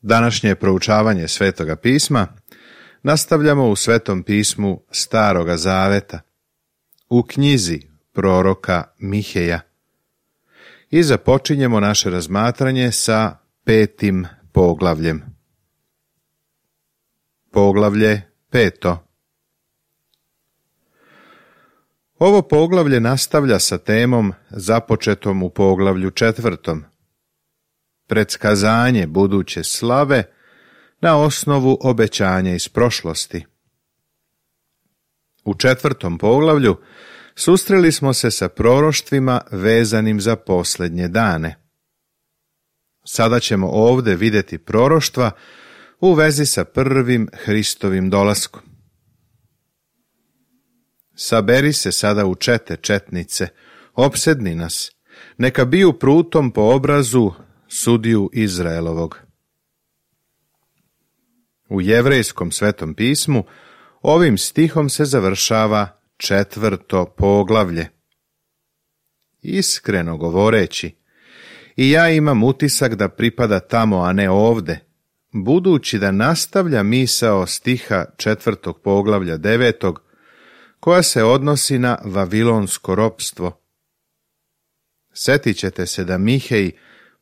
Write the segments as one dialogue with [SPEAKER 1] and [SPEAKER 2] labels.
[SPEAKER 1] Današnje proučavanje Svetoga pisma nastavljamo u Svetom pismu Staroga Zaveta, u knjizi proroka Miheja. I započinjemo naše razmatranje sa 5. poglavljem. Poglavlje 5. Ovo poglavlje nastavlja sa temom započetom u poglavlju 4. Predskazanje buduće slave na osnovu obećanja iz prošlosti. U 4. poglavlju susreli smo se sa proroštvima vezanim za posljednje dane. Sada ćemo ovdje vidjeti proroštva u vezi sa prvim Hristovim dolaskom. Saberi se sada u čete, četnice, opsedni nas, neka biju prutom po obrazu sudiju Izraelovog. U Jevrejskom Svetom pismu ovim stihom se završava 4. poglavlje. Iskreno govoreći, i ja imam utisak da pripada tamo, a ne ovde, budući da nastavlja misao stiha 4. poglavlja 9. koja se odnosi na vavilonsko ropstvo. Sjetit ćete se da Mihej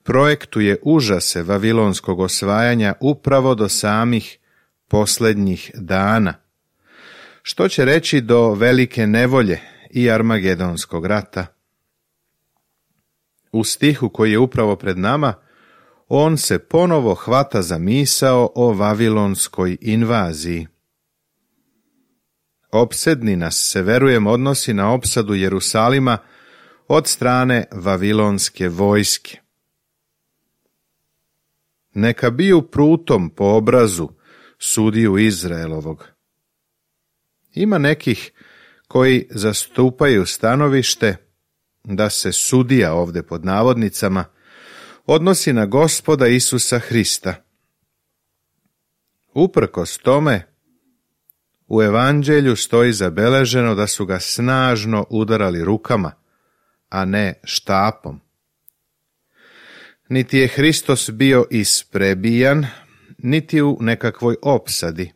[SPEAKER 1] projektuje užase vavilonskog osvajanja upravo do samih posljednjih dana, što će reći do velike nevolje i Armagedonskog rata. U stihu koji je upravo pred nama, on se ponovo hvata za misao o vavilonskoj invaziji. Opsedni nas se, verujem, odnosi na opsadu Jerusalima od strane vavilonske vojske. Neka biju prutom po obrazu sudiju Izraelovog. Ima nekih koji zastupaju stanovište da se sudija, ovdje pod navodnicama, odnosi na Gospoda Isusa Hrista. Uprkos tome, u evanđelju stoji zabeleženo da su ga snažno udarali rukama, a ne štapom. Niti je Hristos bio isprebijan, niti u nekakvoj opsadi.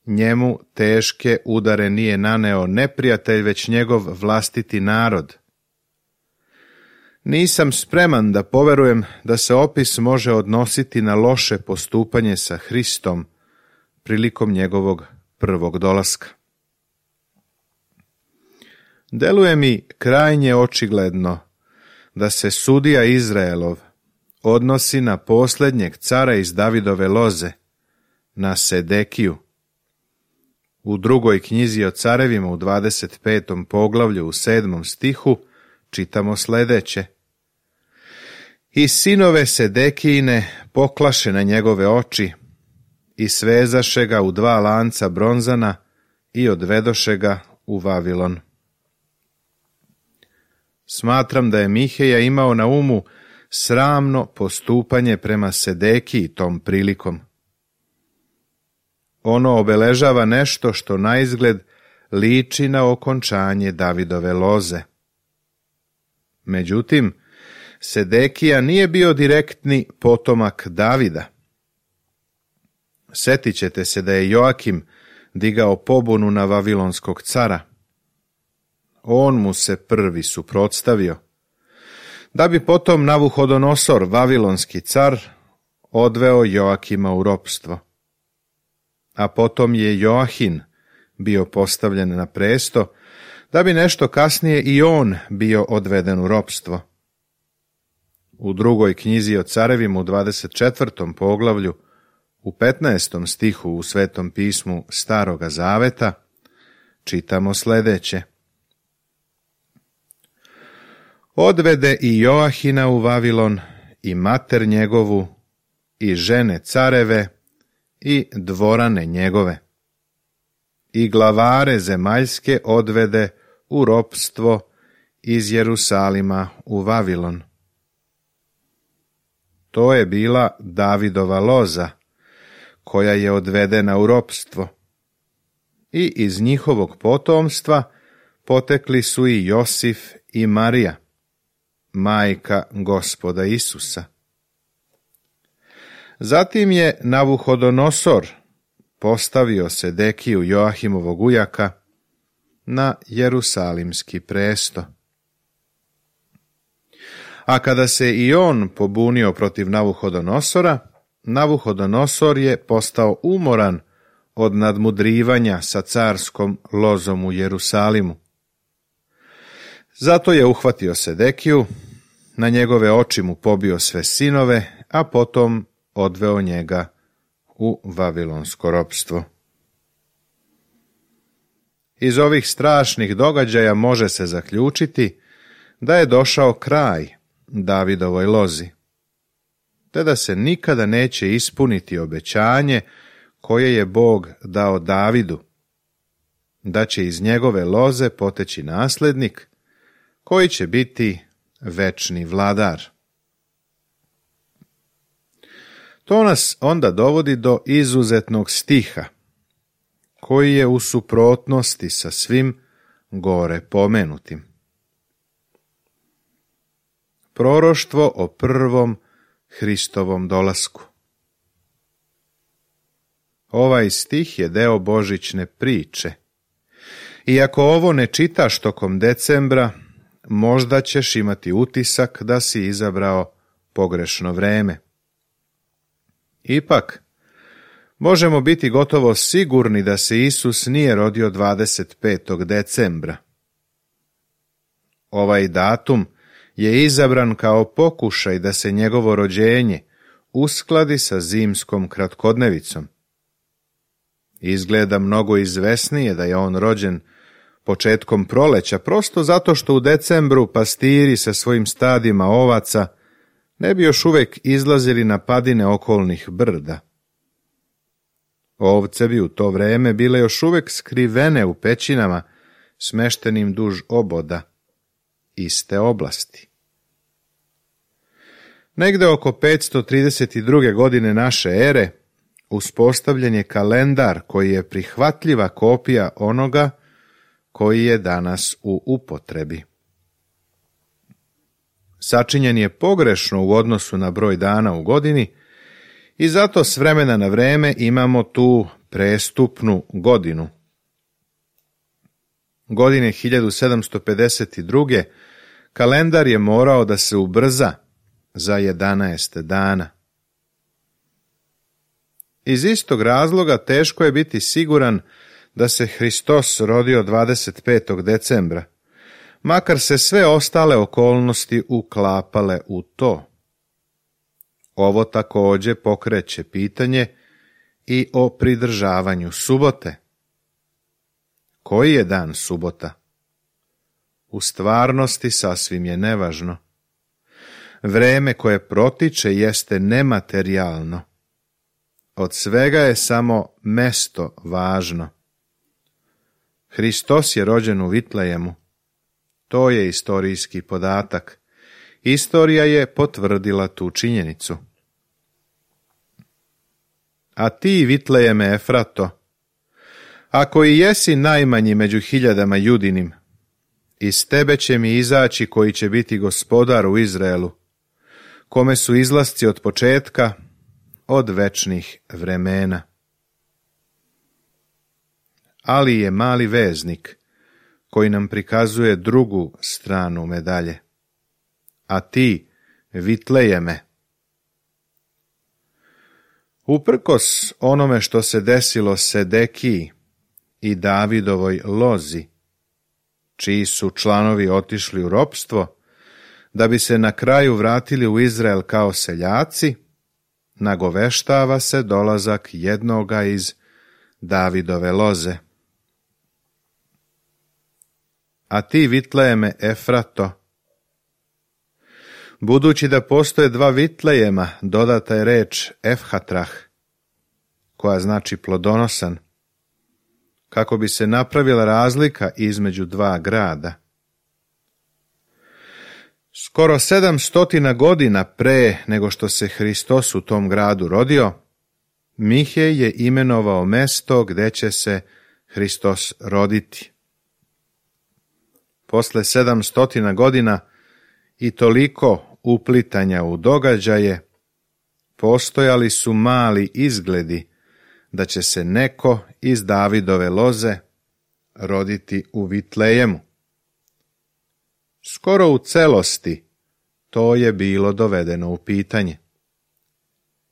[SPEAKER 1] Njemu teške udare nije naneo neprijatelj, već njegov vlastiti narod. Nisam spreman da poverujem da se opis može odnositi na loše postupanje sa Hristom prilikom njegovog prvog dolaska. Deluje mi krajnje očigledno da se sudija Izraelov odnosi na posljednjeg cara iz Davidove loze, na Sedekiju. U 2. knjizi o carevima u 25. poglavlju u 7. stihu čitamo sljedeće. I sinove Sedekijine poklaše na njegove oči i svezaše ga u 2 lanca bronzana i odvedoše ga u Vavilon. Smatram da je Miheja imao na umu sramno postupanje prema Sedekiji tom prilikom. Ono obeležava nešto što naizgled liči na okončanje Davidove loze. Međutim, Sedekija nije bio direktni potomak Davida. Sjetit ćete se da je Joakim digao pobunu na vavilonskog cara. On mu se prvi suprotstavio, da bi potom Navuhodonosor, vavilonski car, odveo Joakima u ropstvo. A potom je Joahin bio postavljen na presto, da bi nešto kasnije i on bio odveden u ropstvo. U 2. knjizi o carevima u 24. poglavlju, u 15. stihu u Svetom pismu Staroga Zaveta, čitamo sljedeće. Odvede i Joahina u Vavilon, i mater njegovu, i žene careve, i dvorane njegove. I glavare zemaljske odvede u ropstvo iz Jerusalima u Vavilon. To je bila Davidova loza, koja je odvedena u ropstvo. I iz njihovog potomstva potekli su i Josif i Marija, majka Gospoda Isusa. Zatim je Navuhodonosor postavio Sedekiju, Joahimovog ujaka, na Jerusalimski presto. A kada se i on pobunio protiv Navuhodonosora, Navuhodonosor je postao umoran od nadmudrivanja sa carskom lozom u Jerusalimu. Zato je uhvatio Sedekiju, na njegove oči mu pobio sve sinove, a potom odveo njega u vavilonsko ropstvo. Iz ovih strašnih događaja može se zaključiti da je došao kraj Davidovoj lozi, te da se nikada neće ispuniti obećanje koje je Bog dao Davidu, da će iz njegove loze poteći naslednik koji će biti večni vladar. To nas onda dovodi do izuzetnog stiha, koji je u suprotnosti sa svim gore pomenutim. Proroštvo o prvom Hristovom dolasku. Ovaj stih je deo božićne priče. Iako ovo ne čitaš tokom decembra, možda ćeš imati utisak da si izabrao pogrešno vreme. Ipak, možemo biti gotovo sigurni da se Isus nije rodio 25. decembra. Ovaj datum je izabran kao pokušaj da se njegovo rođenje uskladi sa zimskom kratkodnevicom. Izgleda mnogo izvesnije da je on rođen početkom proleća, prosto zato što u decembru pastiri sa svojim stadima ovaca ne bi još uvek izlazili na padine okolnih brda. Ovce bi u to vreme bile još uvek skrivene u pećinama smeštenim duž oboda iste oblasti. Negde oko 532. godine naše ere uspostavljen je kalendar koji je prihvatljiva kopija onoga koji je danas u upotrebi. Sačinjen je pogrešno u odnosu na broj dana u godini i zato s vremena na vreme imamo tu prestupnu godinu. Godine 1752. kalendar je morao da se ubrza za 11 dana. Iz istog razloga teško je biti siguran da se Hristos rodio 25. decembra, makar se sve ostale okolnosti uklapale u to. Ovo također pokreće pitanje i o pridržavanju subote. Koji je dan subota? U stvarnosti sasvim je nevažno. Vreme koje protiče jeste nematerijalno. Od svega je samo mesto važno. Hristos je rođen u Vitlejemu. To je istorijski podatak. Istorija je potvrdila tu činjenicu. A ti, Vitlejeme Efrato, ako i jesi najmanji među hiljadama Judinim, iz tebe će mi izaći koji će biti gospodar u Izraelu, kome su izlasci od početka, od večnih vremena. Ali je mali veznik koji nam prikazuje drugu stranu medalje. A ti, Vitlejeme, uprkos onome što se desilo Sedekiji i Davidovoj lozi, čiji su članovi otišli u ropstvo, da bi se na kraju vratili u Izrael kao seljaci, nagoveštava se dolazak jednoga iz Davidove loze. A ti, Vitlejeme Efrato, budući da postoje dva Vitlejema, dodata je reč Efhatrah, koja znači plodonosan, kako bi se napravila razlika između dva grada. Skoro 700 godina pre nego što se Hristos u tom gradu rodio, Mihej je imenovao mesto gde će se Hristos roditi. Posle 700 godina i toliko uplitanja u događaje, postojali su mali izgledi da će se neko iz Davidove loze roditi u Vitlejemu. Skoro u celosti to je bilo dovedeno u pitanje.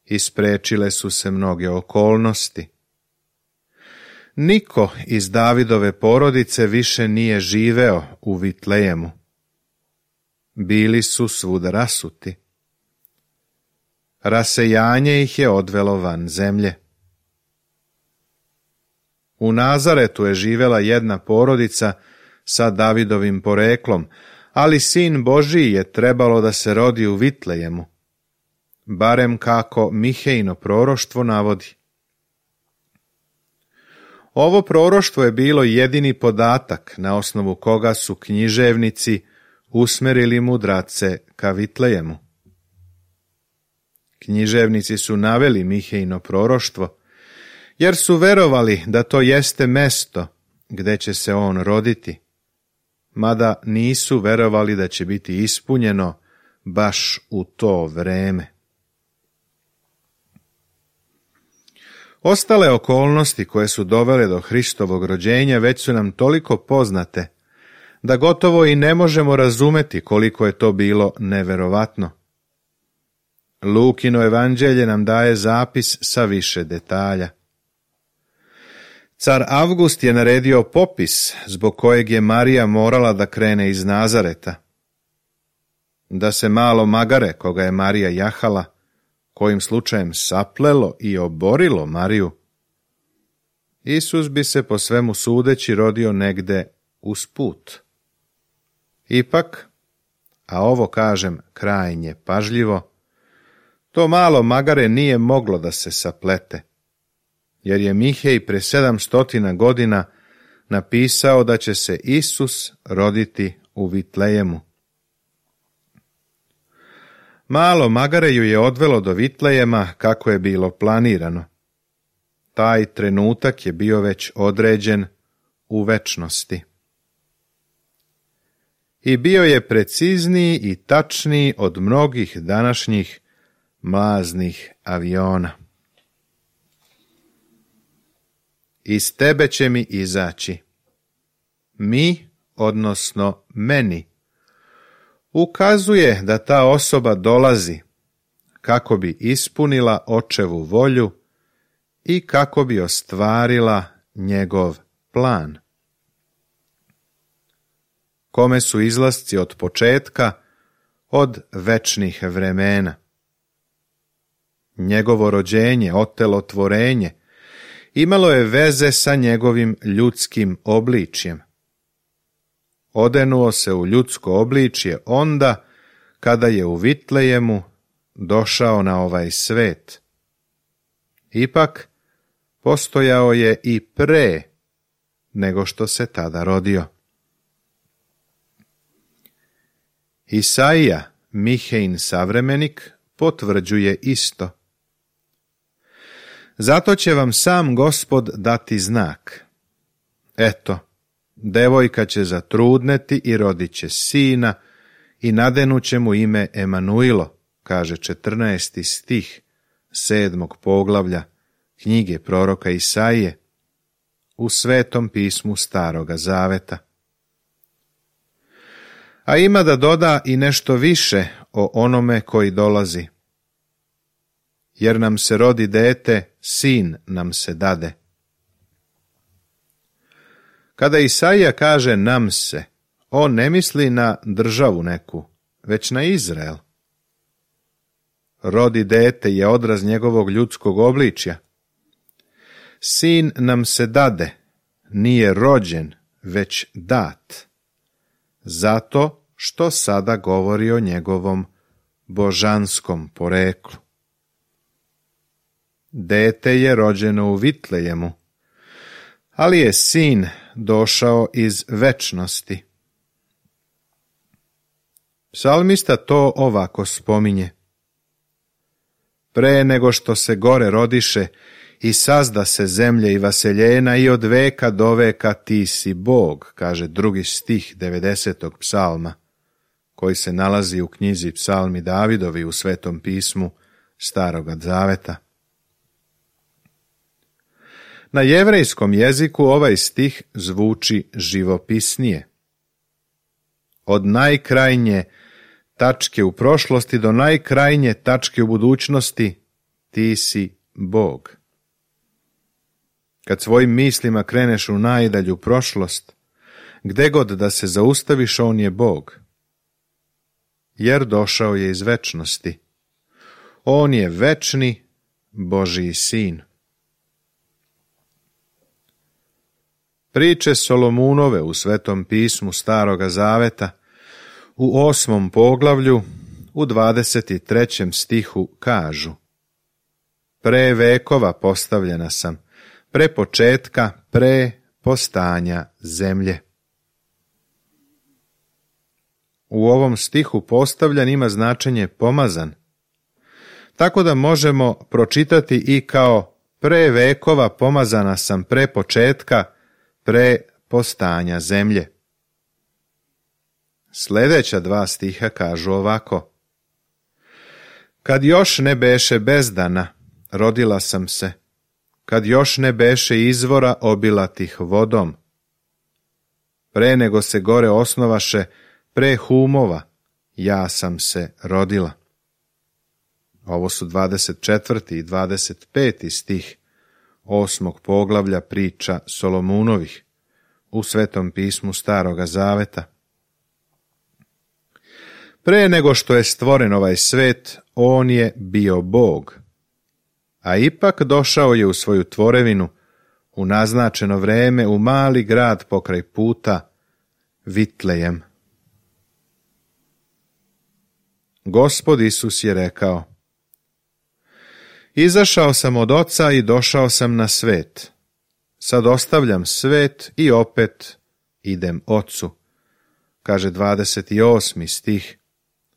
[SPEAKER 1] Isprečile su se mnoge okolnosti. Niko iz Davidove porodice više nije živeo u Vitlejemu. Bili su svuda rasuti. Rasejanje ih je odvelo van zemlje. U Nazaretu je živela jedna porodica sa Davidovim poreklom, ali sin Božiji je trebalo da se rodi u Vitlejemu, barem kako Mihejino proroštvo navodi. Ovo proroštvo je bilo jedini podatak na osnovu koga su književnici usmerili mudrace ka Vitlejemu. Književnici su naveli Mihejino proroštvo, jer su verovali da to jeste mesto gde će se on roditi, mada nisu verovali da će biti ispunjeno baš u to vreme. Ostale okolnosti koje su dovele do Hristovog rođenja već su nam toliko poznate da gotovo i ne možemo razumeti koliko je to bilo neverovatno. Lukino evanđelje nam daje zapis sa više detalja. Car Avgust je naredio popis zbog kojeg je Marija morala da krene iz Nazareta. Da se malo magare koga je Marija jahala, kojim slučajem saplelo i oborilo Mariju, Isus bi se po svemu sudeći rodio negde usput. Ipak, a ovo kažem krajnje pažljivo, to malo magare nije moglo da se saplete, jer je Mihej pre 700 godina napisao da će se Isus roditi u Vitlejemu. Malo magare ju je odvelo do Vitlejema kako je bilo planirano. Taj trenutak je bio već određen u večnosti. I bio je precizniji i tačniji od mnogih današnjih mlaznih aviona. Iz tebe će mi izaći. Mi, odnosno meni, ukazuje da ta osoba dolazi kako bi ispunila očevu volju i kako bi ostvarila njegov plan. Kome su izlasci od početka, od večnih vremena. Njegovo rođenje, otelotvorenje, imalo je veze sa njegovim ljudskim obličjem. Odenuo se u ljudsko obličje onda kada je u Vitlejemu došao na ovaj svet. Ipak, postojao je i pre nego što se tada rodio. Isaija, Mihejin savremenik, potvrđuje isto. Zato će vam sam Gospod dati znak. Eto, devojka će zatrudneti i rodit će sina i nadenuće mu ime Emanuilo, kaže 14. stih 7. poglavlja knjige proroka Isaije u Svetom pismu Staroga Zaveta. A ima da doda i nešto više o onome koji dolazi. Jer nam se rodi dete, sin nam se dade. Kada Isaija kaže nam se, on ne misli na državu neku, već na Izrael. Rodi dete je odraz njegovog ljudskog obličja. Sin nam se dade, nije rođen, već dat. Zato što sada govori o njegovom božanskom poreklu. Dete je rođeno u Vitlejemu, ali je sin došao iz večnosti. Psalmista to ovako spominje. Pre nego što se gore rodiše i sazda se zemlje i vaseljena i od veka do veka ti si Bog, kaže 2. stih 90. psalma, koji se nalazi u knjizi Psalmi Davidovi u Svetom pismu Staroga zaveta. Na jevrejskom jeziku ovaj stih zvuči živopisnije. Od najkrajnje tačke u prošlosti do najkrajnje tačke u budućnosti ti si Bog. Kad svojim mislima kreneš u najdalju prošlost, gde god da se zaustaviš, on je Bog. Jer došao je iz večnosti. On je večni Božji sin. Priče Solomunove u Svetom pismu Staroga zaveta u 8. poglavlju u 23. stihu kažu: Pre vekova postavljena sam, pre početka, pre postanja zemlje. U ovom stihu postavljan ima značenje pomazan, tako da možemo pročitati i kao pre vekova pomazana sam, pre početka, pre postanja zemlje. Sljedeća dva stiha kažu ovako: Kad još ne beše bezdana, rodila sam se, kad još ne beše izvora obilatih vodom. Pre nego se gore osnovaše, pre humova, ja sam se rodila. Ovo su 24. i 25. stih 8. poglavlja priča Solomunovih u Svetom pismu Staroga zaveta. Pre nego što je stvoren ovaj svet, on je bio Bog, a ipak došao je u svoju tvorevinu u naznačeno vreme u mali grad pokraj puta, Vitlejem. Gospod Isus je rekao: Izašao sam od Oca i došao sam na svet. Sad ostavljam svet i opet idem Ocu, kaže 28. stih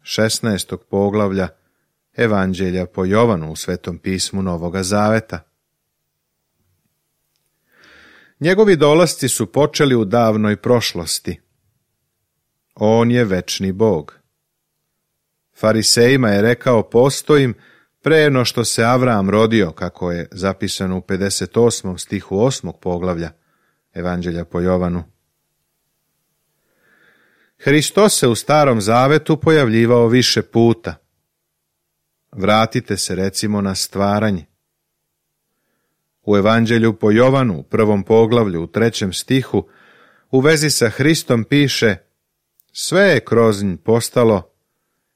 [SPEAKER 1] 16. poglavlja Evanđelja po Jovanu u Svetom pismu Novoga zaveta. Njegovi dolasci su počeli u davnoj prošlosti. On je večni Bog. Farisejima je rekao: postojim pre no što se Avram rodio, kako je zapisano u 58. stihu 8. poglavlja Evanđelja po Jovanu. Hristos se u Starom zavetu pojavljivao više puta. Vratite se recimo na stvaranje. U Evanđelju po Jovanu, u 1. poglavlju, u 3. stihu, u vezi sa Hristom piše: sve je kroz nj postalo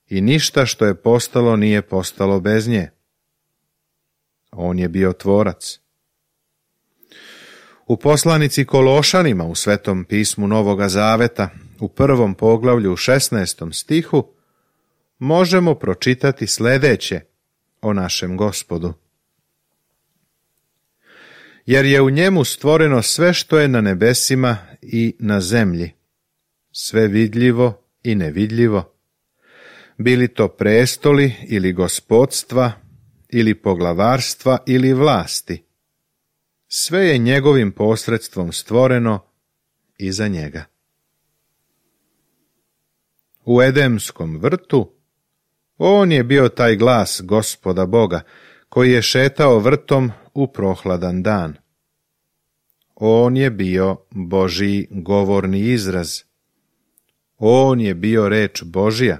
[SPEAKER 1] i ništa što je postalo nije postalo bez nje. On je bio tvorac. U poslanici Kološanima u Svetom pismu Novoga zaveta, u 1. poglavlju, u 16. stihu, možemo pročitati sljedeće o našem Gospodu. Jer je u njemu stvoreno sve što je na nebesima i na zemlji, sve vidljivo i nevidljivo, bili to prestoli ili gospodstva, ili poglavarstva ili vlasti. Sve je njegovim posredstvom stvoreno i za njega. U Edemskom vrtu on je bio taj glas Gospoda Boga, koji je šetao vrtom u prohladan dan. On je bio Božji govorni izraz. On je bio reč Božja.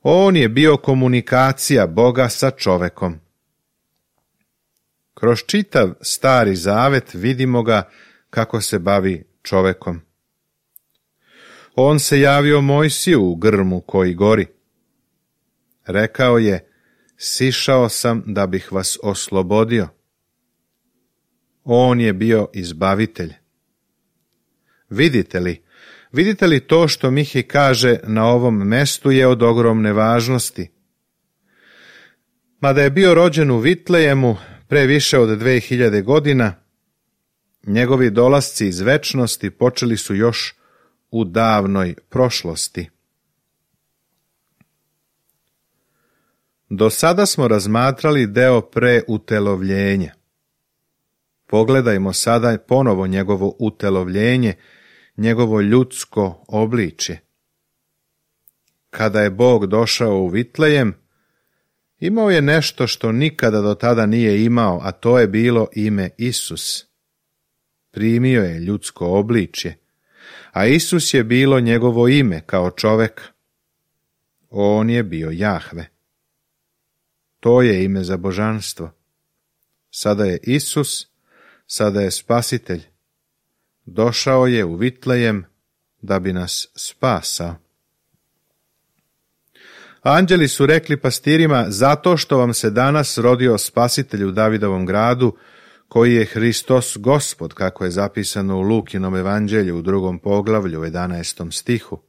[SPEAKER 1] On je bio komunikacija Boga sa čovekom. Kroz čitav Stari zavet vidimo ga kako se bavi čovekom. On se javio Mojsiju u grmu koji gori. Rekao je: sišao sam da bih vas oslobodio. On je bio izbavitelj. Vidite li to što Mihi kaže na ovom mestu je od ogromne važnosti? Mada je bio rođen u Vitlejemu pre više od 2000 godina, njegovi dolasci iz večnosti počeli su još u davnoj prošlosti. Do sada smo razmatrali deo preutelovljenja. Pogledajmo sada ponovo njegovo utelovljenje, njegovo ljudsko obličje. Kada je Bog došao u Vitlejem, Imao je nešto što nikada do tada nije imao, a to je bilo ime Isus. Primio je ljudsko obličje, a Isus je bilo njegovo ime kao čovek. On je bio Jahve. To je ime za božanstvo. Sada je Isus, sada je Spasitelj. Došao je u Vitlejem da bi nas spasao. Anđeli su rekli pastirima, zato što vam se danas rodio Spasitelj u Davidovom gradu, koji je Hristos Gospod, kako je zapisano u Lukinom evanđelju u 2. poglavlju u 11. stihu.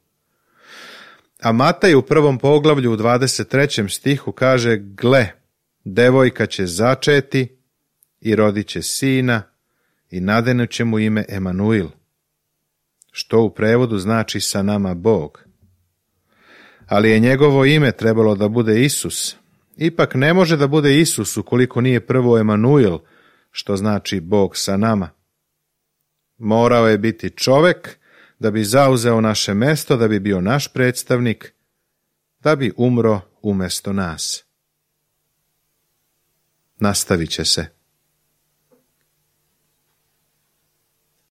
[SPEAKER 1] A Mataj u 1. poglavlju u 23. stihu kaže, gle, devojka će začeti i rodit će sina i nadenut će mu ime Emanuil, što u prevodu znači sa nama Bog. Ali je njegovo ime trebalo da bude Isus. Ipak ne može da bude Isus ukoliko nije prvo Emanuil, što znači Bog sa nama. Morao je biti čovek da bi zauzeo naše mesto, da bi bio naš predstavnik, da bi umro umesto nas. Nastavit će se.